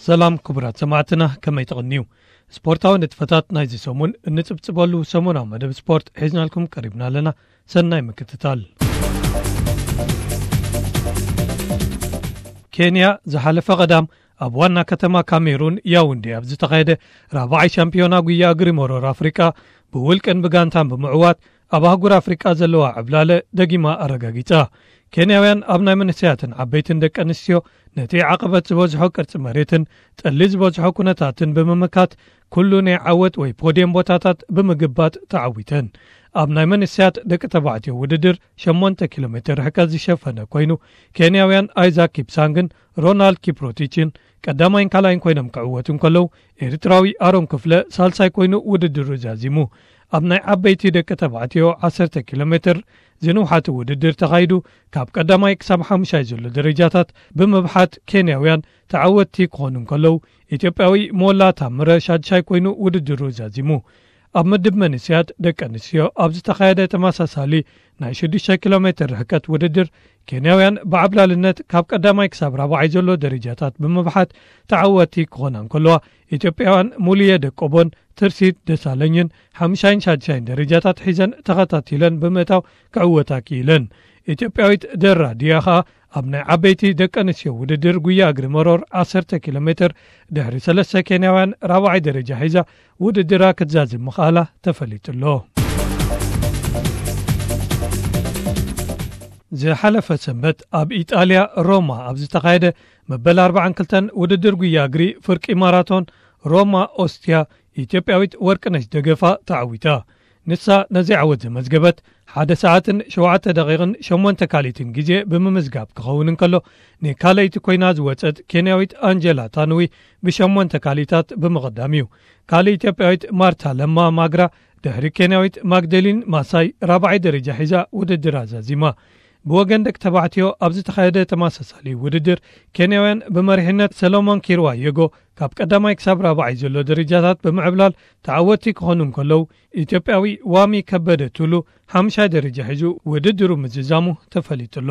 ሰላም ክቡራት ሰማዕትና፣ ከመይ ትቕንዩ? ስፖርታዊ ንጥፈታት ናይዚ ሰሙን እንጽብጽበሉ ሰሙናዊ መደብ ስፖርት ሒዝናልኩም ቀሪብና ኣለና። ሰናይ ምክትታል። ኬንያ ዝሓለፈ ቀዳም ኣብ ዋና ከተማ ካሜሩን ያውንዴ ኣብ ዝተኻየደ ራብዓይ ሻምፒዮና ጉያ እግሪ መሮር ኣፍሪቃ ብውልቅን ብጋንታን ብምዕዋት ኣብ ኣህጉር ኣፍሪቃ ዘለዋ ዕብላለ ደጊማ ኣረጋጊጻ። ኬንያውያን ኣብ ናይ መንእሰያትን ዓበይትን ደቂ ኣንስትዮ ነቲ ዓቐበት ዝበዝሖ ቅርጺ መሬትን ጠሊ ዝበዝሖ ኩነታትን ብምምካት ኩሉ ናይ ዓወት ወይ ፖድየም ቦታታት ብምግባጥ ተዓዊተን። ኣብ ናይ መንእሰያት ደቂ ተባዕትዮ ውድድር ሸሞንተ ኪሎ ሜትር ርሕቀት ዝሸፈነ ኮይኑ፣ ኬንያውያን ኣይዛክ ኪፕሳንግን ሮናልድ ኪፕሮቲችን ቀዳማይን ካልኣይን ኮይኖም ክዕወቱ እንከለዉ፣ ኤርትራዊ ኣሮን ክፍለ ሳልሳይ ኮይኑ ውድድሩ ዛዚሙ። ኣብ ናይ ዓበይቲ ደቂ ተባዕትዮ ዓሰርተ ኪሎ ሜትር ዝንውሓቱ ውድድር ተኻይዱ፣ ካብ ቀዳማይ ክሳብ ሓሙሻይ ዘሎ ደረጃታት ብምብሓት ኬንያውያን ተዓወትቲ ክኾኑ እንከለዉ፣ ኢትዮጵያዊ ሞላ ታምረ ሻድሻይ ኮይኑ ውድድሩ ዛዚሙ። ኣብ ምድብ መንእሰያት ደቂ ኣንስትዮ ኣብ ዝተኻየደ ተመሳሳሊ ናይ ሽዱሽተ ኪሎ ሜትር ርሕቀት ውድድር፣ ኬንያውያን ብዓብላልነት ካብ ቀዳማይ ክሳብ ራብዓይ ዘሎ ደረጃታት ብምብሓት ተዓወትቲ ክኾና እንከለዋ፣ ኢትዮጵያውያን ሙሉየ ደቆቦን ትርሲት ደሳለኝን ሓምሻይን ሻድሻይን ደረጃታት ሒዘን ተኸታቲለን ብምእታው ክዕወታ ክኢለን። ኢትዮጵያዊት ደራ ድያ ኸኣ ኣብ ናይ ዓበይቲ ደቂ ኣንስትዮ ውድድር ጉያ እግሪ መሮር ዓሰርተ ኪሎ ሜትር ድሕሪ ሰለስተ ኬንያውያን ራብዓይ ደረጃ ሒዛ ውድድራ ክትዛዝም ምኽኣላ ተፈሊጡ ኣሎ። ዝሓለፈ ሰንበት ኣብ ኢጣልያ ሮማ ኣብ ዝተኻየደ መበል ኣርባዓን ክልተን ውድድር ጉያ እግሪ ፍርቂ ማራቶን ሮማ ኦስትያ፣ ኢትዮጵያዊት ወርቅነሽ ደገፋ ተዓዊታ። ንሳ ነዚ ዓወት ዘመዝገበት ሓደ ሰዓትን ሸውዓተ ደቂቕን ሸሞንተ ካልኢትን ግዜ ብምምዝጋብ ክኸውን እንከሎ፣ ንካልኣይቲ ኮይና ዝወጸት ኬንያዊት ኣንጀላ ታንዊ ብሸሞንተ ካልኢታት ብምቕዳም እዩ። ካልእ ኢትዮጵያዊት ማርታ ለማ ማግራ ድሕሪ ኬንያዊት ማግደሊን ማሳይ ራብዓይ ደረጃ ሒዛ ውድድር ኣዛዚማ። ብወገን ደቂ ተባዕትዮ ኣብ ዝተኻየደ ተመሳሳሊ ውድድር፣ ኬንያውያን ብመሪሕነት ሰሎሞን ኪርዋ የጎ ካብ ቀዳማይ ክሳብ ራብዓይ ዘሎ ደረጃታት ብምዕብላል ተዓወትቲ ክኾኑ እንከለዉ፣ ኢትዮጵያዊ ዋሚ ከበደ ቱሉ ሓምሻይ ደረጃ ሒዙ ውድድሩ ምዝዛሙ ተፈሊጡ ኣሎ።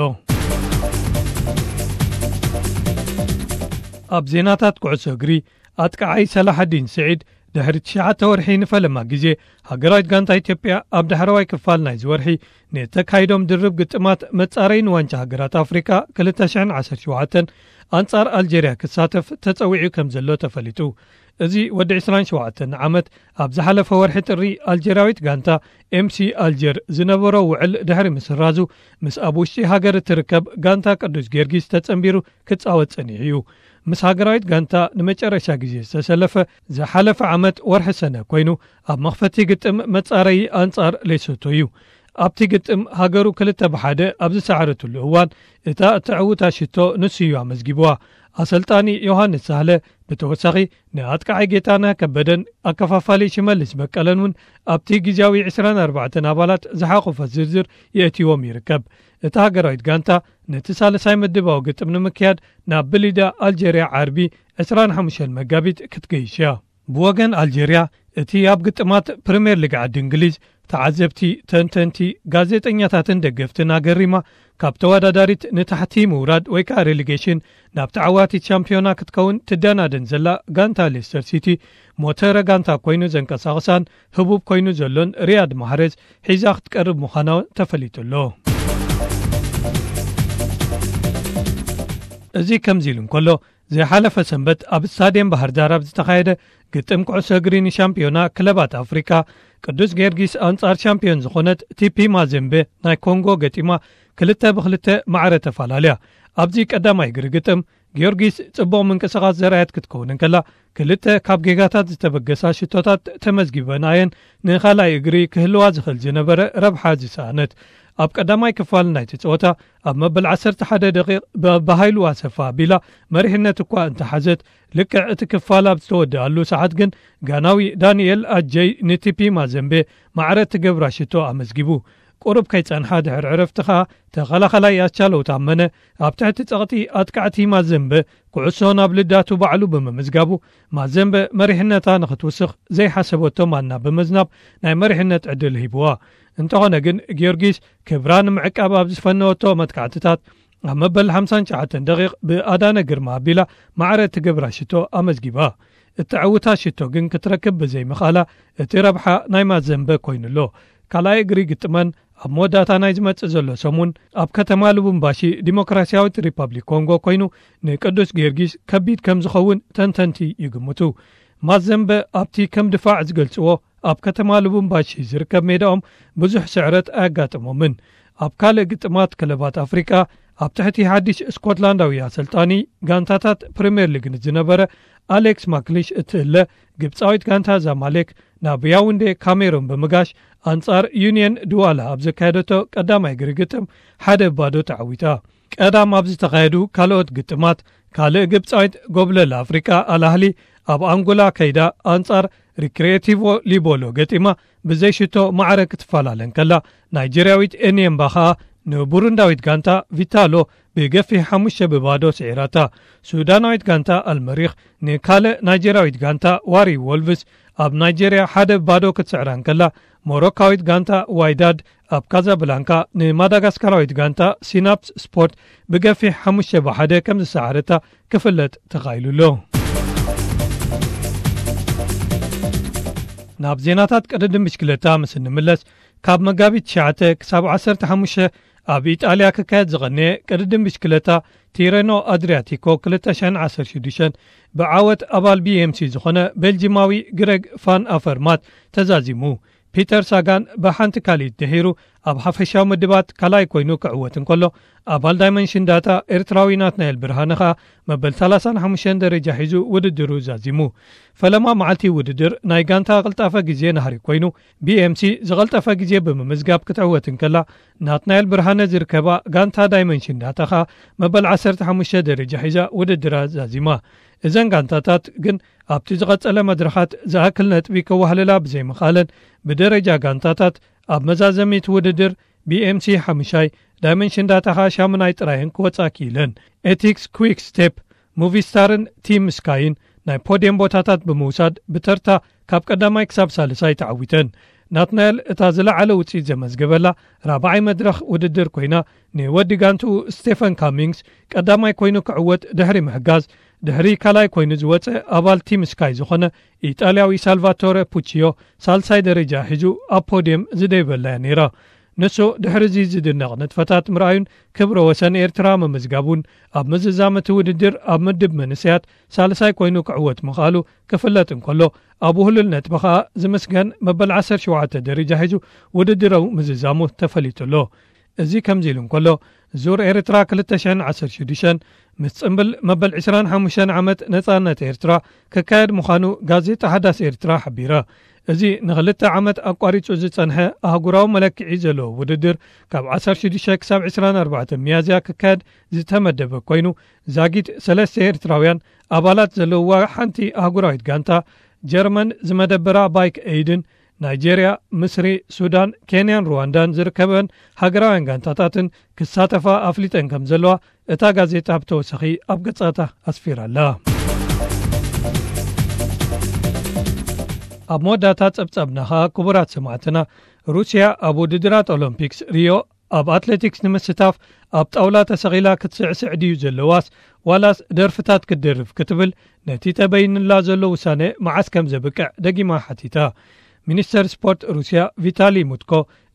ኣብ ዜናታት ኩዕሶ እግሪ፣ ኣጥቃዓይ ሰላሐዲን ስዒድ ድሕሪ ትሽዓተ ወርሒ ንፈለማ ግዜ ሃገራዊት ጋንታ ኢትዮጵያ ኣብ ዳሕረዋይ ክፋል ናይዚ ወርሒ ንተካይዶም ድርብ ግጥማት መጻረዪ ንዋንጫ ሃገራት ኣፍሪካ ክልተ ሽሕን ዓሰርተ ሸውዓተን ኣንጻር ኣልጀርያ ክሳተፍ ተጸዊዑ ከም ዘሎ ተፈሊጡ። እዚ ወዲ ዕስራን ሸውዓተን ዓመት ኣብ ዝሓለፈ ወርሒ ጥሪ ኣልጀርያዊት ጋንታ ኤምሲ ኣልጀር ዝነበሮ ውዕል ድሕሪ ምስራዙ፣ ምስ ኣብ ውሽጢ ሃገር እትርከብ ጋንታ ቅዱስ ጊዮርጊስ ተጸንቢሩ ክጻወት ጸኒሑ እዩ። ምስ ሃገራዊት ጋንታ ንመጨረሻ ግዜ ዝተሰለፈ ዝሓለፈ ዓመት ወርሒ ሰነ ኮይኑ፣ ኣብ መኽፈቲ ግጥም መጻረዪ ኣንጻር ሌሶቶ እዩ። ኣብቲ ግጥም ሃገሩ ክልተ ብሓደ ኣብ ዝሰዓረትሉ እዋን፣ እታ እተዕውታ ሽቶ ንሱ እዩ ኣመዝጊብዋ። ኣሰልጣኒ ዮሃንስ ሳህለ ብተወሳኺ ንኣጥቃዓይ ጌታነህ ከበደን ኣከፋፋሊ ሽመልስ በቀለን እውን ኣብቲ ግዜያዊ ዕስራን ኣርባዕተን ኣባላት ዝሓቖፈ ዝርዝር የእትይዎም ይርከብ። እታ ሃገራዊት ጋንታ ነቲ ሳልሳይ ምድባዊ ግጥም ንምክያድ ናብ ብሊዳ ኣልጀርያ ዓርቢ ዕስራን ሓሙሽተን መጋቢት ክትገይሽ እያ። ብወገን ኣልጀርያ፣ እቲ ኣብ ግጥማት ፕሪምየር ሊግ ዓዲ እንግሊዝ ተዓዘብቲ፣ ተንተንቲ፣ ጋዜጠኛታትን ደገፍትን ኣገሪማ ካብ ተወዳዳሪት ንታሕቲ ምውራድ ወይ ከኣ ሬሊጌሽን ናብ ተዓዋቲት ሻምፒዮና ክትከውን ትደናደን ዘላ ጋንታ ሌስተር ሲቲ፣ ሞተረ ጋንታ ኮይኑ ዘንቀሳቕሳን ህቡብ ኮይኑ ዘሎን ሪያድ ማህሬዝ ሒዛ ክትቀርብ ምዃና ተፈሊጡ ኣሎ። እዚ ከምዚ ኢሉ እንከሎ፣ ዝሓለፈ ሰንበት ኣብ ስታድየም ባህር ዳር ኣብ ዝተኻየደ ግጥም ኩዕሶ እግሪ ንሻምፒዮና ክለባት ኣፍሪካ፣ ቅዱስ ጊዮርጊስ ኣንጻር ሻምፒዮን ዝኾነት ቲፒ ማዜምቤ ናይ ኮንጎ ገጢማ ክልተ ብክልተ ማዕረ ተፈላለያ። ኣብዚ ቀዳማይ እግሪ ግጥም ጊዮርጊስ ጽቡቕ ምንቅስቓስ ዘርኣየት ክትከውን እንከላ፣ ክልተ ካብ ጌጋታት ዝተበገሳ ሽቶታት ተመዝጊበን ኣየን ንኻልኣይ እግሪ ክህልዋ ዝኽእል ዝነበረ ረብሓ ዝሰኣነት። ኣብ ቀዳማይ ክፋል ናይቲ ጸወታ ኣብ መበል ዓሰርተ ሓደ ደቂቕ ብኣባሃይሉ ኣሰፋ ኣቢላ መሪሕነት እኳ እንተሓዘት፣ ልክዕ እቲ ክፋል ኣብ ዝተወደኣሉ ሰዓት ግን ጋናዊ ዳንኤል ኣጀይ ንቲፒ ማዘምቤ ማዕረ እትገብራ ሽቶ ኣመዝጊቡ። ቁሩብ ከይጸንሓ ድሕሪ ዕረፍቲ ኸኣ ተኸላኸላይ ኣስቻለው ታመነ ኣብ ትሕቲ ጸቕጢ ኣጥቃዕቲ ማዘምበ ኩዕሶ ናብ ልዳቱ ባዕሉ ብምምዝጋቡ፣ ማዘምበ መሪሕነታ ንኽትውስኽ ዘይሓሰበቶ ማና ብምዝናብ ናይ መሪሕነት ዕድል ሂብዋ። እንተኾነ ግን ጊዮርጊስ ክብራ ንምዕቃብ ኣብ ዝፈነወቶ መጥቃዕትታት ኣብ መበል ሓምሳን ትሽዓተን ደቂቕ ብኣዳነ ግርማ ኣቢላ ማዕረ እትገብራ ሽቶ ኣመዝጊባ። እተዕውታ ሽቶ ግን ክትረክብ ብዘይምኽኣላ፣ እቲ ረብሓ ናይ ማዘምበ ኮይኑ'ሎ። ካልኣይ እግሪ ግጥመን ኣብ መወዳእታ ናይ ዝመጽእ ዘሎ ሰሙን ኣብ ከተማ ሉቡምባሺ ዲሞክራሲያዊት ሪፐብሊክ ኮንጎ ኮይኑ፣ ንቅዱስ ጊዮርጊስ ከቢድ ከም ዝኸውን ተንተንቲ ይግምቱ። ማዘምበ ኣብቲ ከም ድፋዕ ዝገልጽዎ ኣብ ከተማ ሉቡምባሺ ዝርከብ ሜዳኦም ብዙሕ ስዕረት ኣያጋጠሞምን። ኣብ ካልእ ግጥማት ክለባት ኣፍሪቃ፣ ኣብ ትሕቲ ሓድሽ ስኮትላንዳዊ ኣሰልጣኒ ጋንታታት ፕሪምየር ሊግ ዝነበረ ኣሌክስ ማክሊሽ እትእለ፣ ግብጻዊት ጋንታ ዛማሌክ ናብ ያውንዴ ካሜሩን ብምጋሽ ኣንጻር ዩኒየን ድዋላ ኣብ ዘካየደቶ ቀዳማይ እግሪ ግጥም ሓደ ባዶ ተዓዊታ። ቀዳም ኣብ ዝተኻየዱ ካልኦት ግጥማት፣ ካልእ ግብጻዊት ጎብለል ኣፍሪቃ ኣልኣህሊ ኣብ ኣንጎላ ከይዳ ኣንጻር ሪክሬቲቮ ሊቦሎ ገጢማ ብዘይ ሽቶ ማዕረ ክትፈላለ እንከላ፣ ናይጀርያዊት ኤኒየምባ ኸኣ ንቡሩንዳዊት ጋንታ ቪታሎ ብገፊሕ ሓሙሽተ ብባዶ ስዒራታ። ሱዳናዊት ጋንታ ኣልመሪኽ ንካልእ ናይጀርያዊት ጋንታ ዋሪ ወልቭስ ኣብ ናይጀርያ ሓደ ባዶ ክትስዕራ እንከላ፣ ሞሮካዊት ጋንታ ዋይዳድ ኣብ ካዛብላንካ ንማዳጋስካራዊት ጋንታ ሲናፕስ ስፖርት ብገፊሕ ሓሙሽተ ብሓደ ከም ዝሰዓረታ ክፍለጥ ተኻኢሉ ኣሎ። ናብ ዜናታት ቅድድም ብሽክለታ ምስ እንምለስ፣ ካብ መጋቢት ትሽዓተ ክሳብ ዓሰርተ ሓሙሽተ ኣብ ኢጣልያ ክካየድ ዝቐነየ ቅድድም ብሽክለታ ቲረኖ ኣድሪያቲኮ ክልተ ሽሕን ዓሰርተ ሽዱሽተን ብዓወት ኣባል ቢ ኤም ሲ ዝኾነ ቤልጂማዊ ግረግ ፋን ኣፈርማት ተዛዚሙ። ፒተር ሳጋን ብሓንቲ ካልኢት ድሒሩ ኣብ ሓፈሻዊ ምድባት ካልኣይ ኮይኑ ክዕወት እንከሎ፣ ኣባል ዳይመንሽን ዳታ ኤርትራዊ ናትናኤል ብርሃነ ኸኣ መበል ሰላሳን ሓሙሽተን ደረጃ ሒዙ ውድድሩ ዛዚሙ። ፈለማ መዓልቲ ውድድር ናይ ጋንታ ቅልጣፈ ግዜ ናህሪ ኮይኑ፣ ቢ ኤም ሲ ዝቐልጠፈ ግዜ ብምምዝጋብ ክትዕወት እንከላ፣ ናትናኤል ብርሃነ ዝርከባ ጋንታ ዳይመንሽን ዳታ ኸኣ መበል ዓሰርተ ሓሙሽተ ደረጃ ሒዛ ውድድራ ዛዚማ። እዘን ጋንታታት ግን ኣብቲ ዝቐጸለ መድረኻት ዝኣክል ነጥቢ ከዋህልላ ብዘይምኽኣለን፣ ብደረጃ ጋንታታት ኣብ መዛዘሚት ውድድር ቢ ኤም ሲ ሓሙሻይ፣ ዳይመንሽን ዳታ ኸኣ ሻሙናይ ጥራየን ክወጻ ክኢለን። ኤቲክስ፣ ኩዊክ ስቴፕ፣ ሙቪስታርን ቲም ስካይን ናይ ፖድየም ቦታታት ብምውሳድ ብተርታ ካብ ቀዳማይ ክሳብ ሳልሳይ ተዓዊተን። ናትናኤል እታ ዝለዓለ ውጽኢት ዘመዝገበላ ራብዓይ መድረኽ ውድድር ኮይና፣ ንወዲ ጋንትኡ ስቴፈን ካሚንግስ ቀዳማይ ኮይኑ ክዕወት ድሕሪ ምሕጋዝ፣ ድሕሪ ካልኣይ ኮይኑ ዝወጸ ኣባል ቲም ስካይ ዝኾነ ኢጣልያዊ ሳልቫቶረ ፑቺዮ ሳልሳይ ደረጃ ሒዙ ኣብ ፖድየም ዝደይበላያ ነይራ። ንሱ ድሕሪ እዚ ዝድነቕ ንጥፈታት ምርኣዩን ክብረ ወሰን ኤርትራ ምምዝጋቡን፣ ኣብ ምዝዛም እቲ ውድድር ኣብ ምድብ መንእሰያት ሳልሳይ ኮይኑ ክዕወት ምኽኣሉ ክፍለጥ እንከሎ፣ ኣብ ውህሉል ነጥቢ ኸኣ ዝምስገን መበል ዓሰርተ ሸውዓተ ደረጃ ሒዙ ውድድራዊ ምዝዛሙ ተፈሊጡ ኣሎ። እዚ ከምዚ ኢሉ እንከሎ፣ ዙር ኤርትራ ክልተ ሽሕን ዓሰርተ ሽዱሽተን ምስ ጽምብል መበል ዕስራን ሓሙሽተን ዓመት ነጻነት ኤርትራ ክካየድ ምዃኑ ጋዜጣ ሓዳስ ኤርትራ ሓቢራ። እዚ ንኽልተ ዓመት ኣቋሪጹ ዝጸንሐ ኣህጉራዊ መለክዒ ዘለዎ ውድድር፣ ካብ ዓሰርተ ሽዱሽተ ክሳብ ዕስራን ኣርባዕተን ሚያዝያ ክካየድ ዝተመደበ ኮይኑ፣ ዛጊት ሰለስተ ኤርትራውያን ኣባላት ዘለውዋ ሓንቲ ኣህጉራዊት ጋንታ፣ ጀርመን ዝመደበራ ባይክ ኤይድን፣ ናይጄርያ፣ ምስሪ፣ ሱዳን፣ ኬንያን ሩዋንዳን ዝርከበን ሃገራውያን ጋንታታትን ክሳተፋ ኣፍሊጠን ከም ዘለዋ እታ ጋዜጣ ብተወሳኺ ኣብ ገጻታ ኣስፊራ ኣላ። ኣብ መወዳእታ ጸብጻብና ኸኣ፣ ክቡራት ሰማዕትና፣ ሩስያ ኣብ ውድድራት ኦሎምፒክስ ሪዮ ኣብ ኣትሌቲክስ ንምስታፍ ኣብ ጣውላ ተሰቒላ ክትስዕስዕ ድዩ ዘለዋስ፣ ዋላስ ደርፍታት ክትደርፍ ክትብል፣ ነቲ ተበይንላ ዘሎ ውሳነ መዓስ ከም ዘብቅዕ ደጊማ ሓቲታ። ሚኒስተር ስፖርት ሩስያ ቪታሊ ሙትኮ፣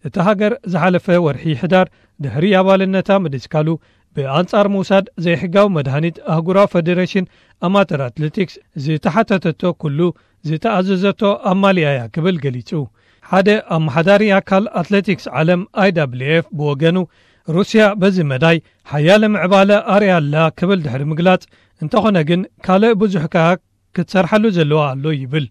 እታ ሃገር ዝሓለፈ ወርሒ ሕዳር ድሕሪ ኣባልነታ ምድስካሉ፣ ብኣንጻር ምውሳድ ዘይሕጋዊ መድሃኒት ኣህጉራዊ ፈደረሽን ኣማተር ኣትሌቲክስ ዝተሓተተቶ ኩሉ ዝተኣዘዘቶ ኣማሊኣ እያ ክብል ገሊጹ። ሓደ ኣመሓዳሪ ኣካል ኣትሌቲክስ ዓለም ኣይ ዳብልዩ ኤፍ ብወገኑ፣ ሩስያ በዚ መዳይ ሓያለ ምዕባለ ኣርእያ ኣላ ክብል ድሕሪ ምግላጽ፣ እንተኾነ ግን ካልእ ብዙሕ ከኣ ክትሰርሓሉ ዘለዋ ኣሎ ይብል።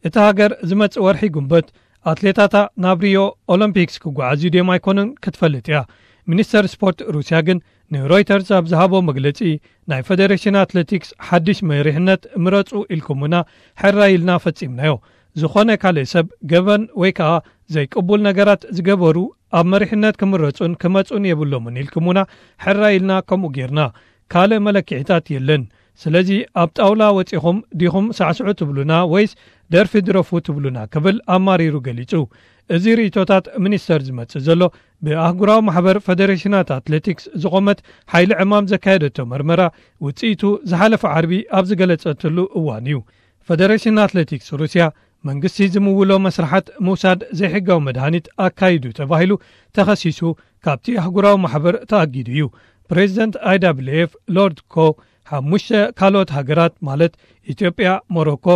እታ ሃገር ዝመጽእ ወርሒ ጉንበት ኣትሌታታ ናብ ሪዮ ኦሎምፒክስ ክጓዓዙ ድዮም ኣይኮኑን ክትፈልጥ እያ። ሚኒስተር ስፖርት ሩስያ ግን ንሮይተርስ ኣብ ዝሃቦ መግለጺ፣ ናይ ፈደሬሽን ኣትሌቲክስ ሓድሽ መሪሕነት ምረጹ ኢልኩምና፣ ሕራይ ኢልና ፈጺምናዮ። ዝኾነ ካልእ ሰብ ገበን ወይ ከኣ ዘይቅቡል ነገራት ዝገበሩ ኣብ መሪሕነት ክምረጹን ክመጹን የብሎምን ኢልኩምና፣ ሕራይ ኢልና ከምኡ ጌርና። ካልእ መለክዒታት የለን። ስለዚ ኣብ ጣውላ ወጺኹም ዲኹም ሳዕስዑ ትብሉና ወይስ ደርፊ ድረፉ ትብሉና ክብል ኣማሪሩ ገሊጹ። እዚ ርእቶታት ሚኒስተር ዝመጽእ ዘሎ፣ ብኣህጉራዊ ማሕበር ፈደሬሽናት ኣትሌቲክስ ዝቖመት ሓይሊ ዕማም ዘካየደቶ መርመራ ውጽኢቱ ዝሓለፈ ዓርቢ ኣብ ዝገለጸትሉ እዋን እዩ። ፈደሬሽን ኣትሌቲክስ ሩስያ መንግስቲ ዝምውሎ መስርሓት ምውሳድ ዘይሕጋዊ መድሃኒት ኣካይዱ ተባሂሉ ተኸሲሱ ካብቲ ኣህጉራዊ ማሕበር ተኣጊዱ እዩ። ፕሬዚደንት ኣይዳብልኤፍ ሎርድ ኮ፣ ሓሙሽተ ካልኦት ሃገራት ማለት ኢትዮጵያ፣ ሞሮኮ፣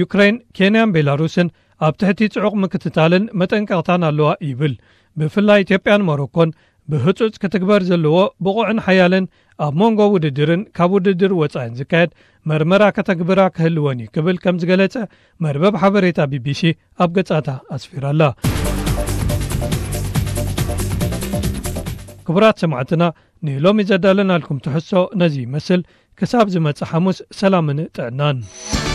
ዩክሬን፣ ኬንያን ቤላሩስን ኣብ ትሕቲ ጽዑቕ ምክትታልን መጠንቀቕታን ኣለዋ ይብል። ብፍላይ ኢትዮጵያን ሞሮኮን ብህጹጽ ክትግበር ዘለዎ ብቑዕን ሓያልን ኣብ መንጎ ውድድርን ካብ ውድድር ወጻኢን ዝካየድ መርመራ ከተግብራ ክህልወን እዩ ክብል ከም ዝገለጸ መርበብ ሓበሬታ ቢቢሲ ኣብ ገጻታ ኣስፊራላ። ክቡራት ሰማዕትና፣ ንሎሚ ዘዳለናልኩም ትሕዝቶ ነዚ ይመስል። ክሳብ ዝመጽእ ሓሙስ ሰላምን ጥዕናን።